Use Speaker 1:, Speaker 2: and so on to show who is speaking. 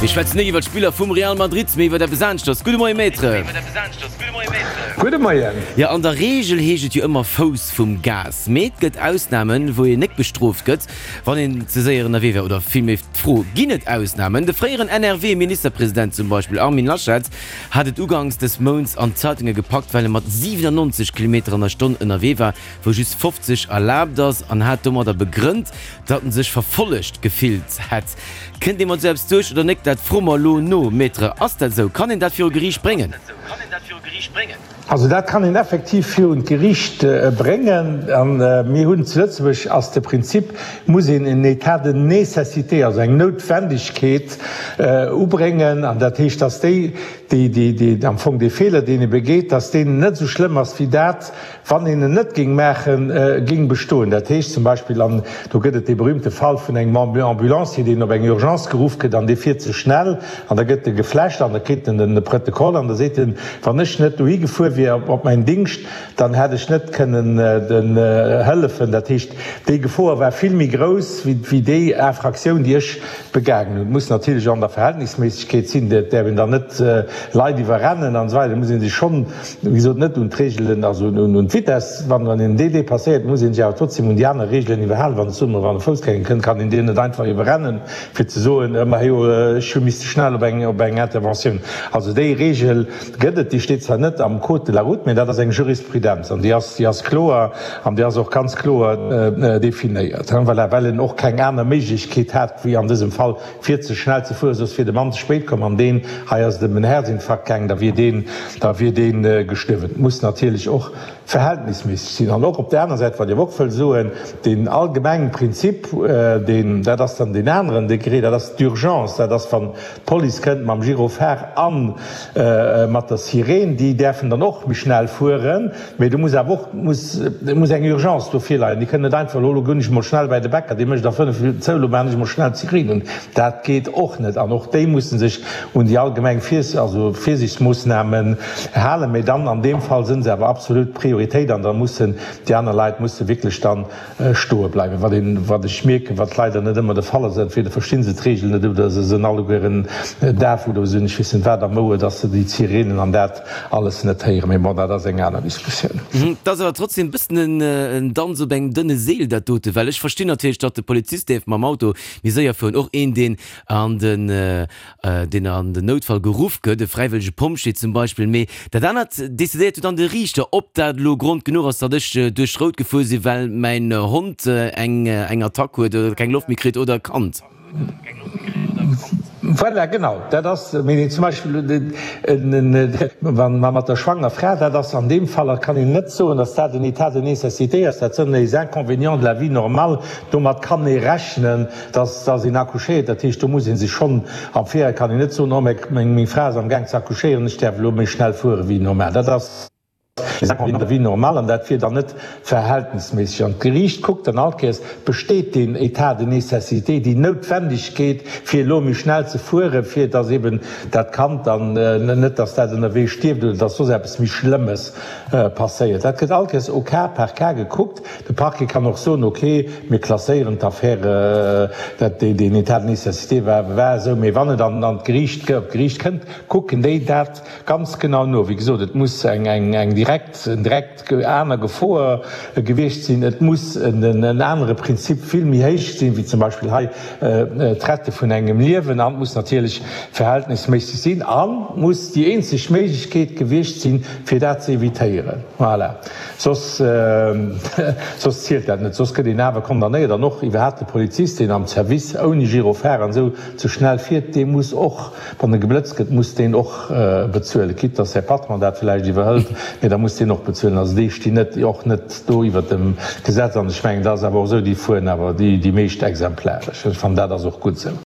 Speaker 1: Mir schwätzen net iwwer d'Spiller vum Real Madrid, mee iwwer eppes aneschters. Gudde Moie Maître.
Speaker 2: Gudde Moien.
Speaker 1: Jo, an der Reegel heescht et jo ëmmer Fouss vum Gas. Mee et gëtt Ausnamen, wou een net bestrooft gëtt, wann een ze séier ënnerwee war. Oder villméi d'Fro, Ginn et Ausnamen? De fréieren NRW-Ministerpresident zum Beispill, Armin Laschet, hat et uganks des Mounts an d'Zeitunge gepackt, well e mat 97 Kilometer an der Stonn ënnerwee war, wou just 50 erlaabt ass, an hat domadder begrënnt, datt en sech verfollegt gefillt hätt. Kënnt ee mat esou eppes duerch oder nek? Dat froe mer elo no. Maître, ass dat esou? Kann een dat viru Geriicht bréngen?
Speaker 2: Also dat kann een effektiv virun d'Geriicht bréngen. A mir hunn zu Lëtzebuerg ass de Prinzip, muss een en État de nécessité, also eng Noutwendegkeet ubréngen. An dat heescht, datt déi, déi, déi am Fong dee Feeler, deen ee begeet, datt deen net esou schlëmm ass wéi dat, wann een en net géing maachen, géing bestoen. Dat heescht zum Beispill, an do gëtt et dee berühmte Fall vun engem Ambulancier, deen op eng Urgence geruff gëtt an dee fiert ze schnell an da gëtt e gefläscht an da kritt en de Prëttekoll an da seet en, wann ech net dohi gefuer wier op mäin Dingscht, dann hätt ech net kënnen den hëllefen. Dat heescht, déi Gefoer war vill méi grouss wéi déi Infraktioun, déi ech begaangen hunn. Et muss natierlech an der Verhältnisméissegkeet sinn, et däerf een dann net Leit iwwerrennen an esou weider, et muss ee sech schonn, wéi gesot, net un d'Reegelen, also un d'Vitesse, wann een déi dépasséiert, muss ee sech awer trotzdem un déi aner Reegelen iwwerhalen. Wann et, soe mer, wann e Foussgänger kënnt, kann een deen net einfach iwwerrennen, fir ze soen, majo, ech hu misste schnell op eng, op eng Interventioun. Also déi Reegel gëtt et, déi steet zwar net am Code de la route, mä dat ass eng Jurisprudenz an déi ass, déi ass kloer an déi ass och ganz kloer definéiert. Voilà, well en och keng aner Méiglechkeet hat, wéi an dësem Fall fir ze schnell ze fueren, soss wier de Mann ze spéit komm an deen hei ass et ëm en Herzinfarkt gaangen, da wier deen, da wier deen gestuerwen. Et muss natierlech och verhältnisméisseg sinn. An och op där aner Säit, wat ech awer och wëll soen, deen allgemengen Prinzip, deen, dat ass dann deen aneren Degré, dat ass d'Urgence, dat ass wann d'Police kënnt mam Gyrophare a mat der Sireen, déi däerfen dann och méi schnell fueren, mee do muss awer och muss muss eng Urgence do virleien. Déi kënnen net einfach elo, elo goen ech mol schnell bäi de Bäcker, dee mécht a 5 Minutten zou, elo maachen ech mol schnell d'Sireen un. Dat geet och net. An och déi musse sech un déi allgemeng Virs also Virsiichtsmoossnamen halen. Mee dann an deem Fall sinn se awer absolut Prioritéit an da mussen déi aner Leit musse wierklech dann stoe bleiwen. Wat een, wat ech mierken, wat leider net ëmmer de Fall ass, entweder verstinn se d'Reegel net oder se sinn allegueren daf oder se hunn ech weess net wat am Ouer, dass se déi Sirenen an dat alles net héieren. Mee bon, dat ass eng aner Diskussioun.
Speaker 1: Et ass awer trotzdem e bëssen en Danz op engem dënne Seel dat dote, well ech verstinn natierlech, datt de Polizist däerf mam Auto méi séier fueren, och een deen an den deen an den Noutfall geruff gëtt, e fräiwëllege Pompjee zum Beispill, mee dat anert decidéiert jo dann de Riichter, ob dat elo Grond genuch ass, datt ech duerch Rout gefuer sinn, well mäin Hond eng eng Attack huet oder keng Loft méi kritt oder e Kand.
Speaker 2: Voilà, genau, dat ass, mee zum Beispill wa mat der schwanger Fra, dat ass an deem Fall, kann een net soen, datt dat en État de nécessité ass, dat sënn les inconvénients de la vie normale, domat kann ee rechnen. Dass dass een accouchéiert, dat heescht, do muss ee sech schonn am Virfeld, kann een net soen, oh meng Fra ass am Gaang ze accouchéieren, ech däerf elo méi schnell fuere wéi normal. Dat ass wéi normal an dat wier dann net verhältnisméisseg. An d'Geriicht kuckt dann all Kéiers, besteet deen État de nécessité, déi Noutwendegkeet, fir elo méi schnell ze fueren, fir dass eben dat Kand dann net, dass dat ënnerwee stierft oder dass soss eppes méi Schlëmmes passéiert. Dat gëtt all Kéiers au cas par cas gekuckt. De Parquet kann och soen, ok, mir klasséieren d'Affäre, dat deen État de nécessité war war esou, mee wann et an d'Geriicht, op d'Geriicht kënnt, kucken déi dat ganz genau no. Wéi gesot, et muss eng eng direkt, en direkt aner Gefoer gewiescht sinn, et muss en anere Prinzip vill méi héich sinn, wéi zum Beispill hei d'Rette vun engem Liewen, an et muss natierlech verhältnisméisseg sinn a muss déi eenzeg Méiglechkeet gewiescht sinn, fir dat ze evitéieren. Voilà. Soss, soss zielt dat net. Soss gëtt een awer condamnéiert. An och iwwerhaapt de Polizist, deen am Service ouni Gyrophare an esou ze schnell fiert, dee muss och, wann e geblëtzt gëtt, muss deen och bezuelen. Quitte dass säi Patron dat vläicht iwwerhëlt, mee da muss deen och bezuelen. Also déi stinn net, och net do iwwert dem Gesetz. An ech mengen, dat ass awer och esou, déi fueren awer déi, déi meescht exemplaresch. Ech fannen, dat ass och gutt esou.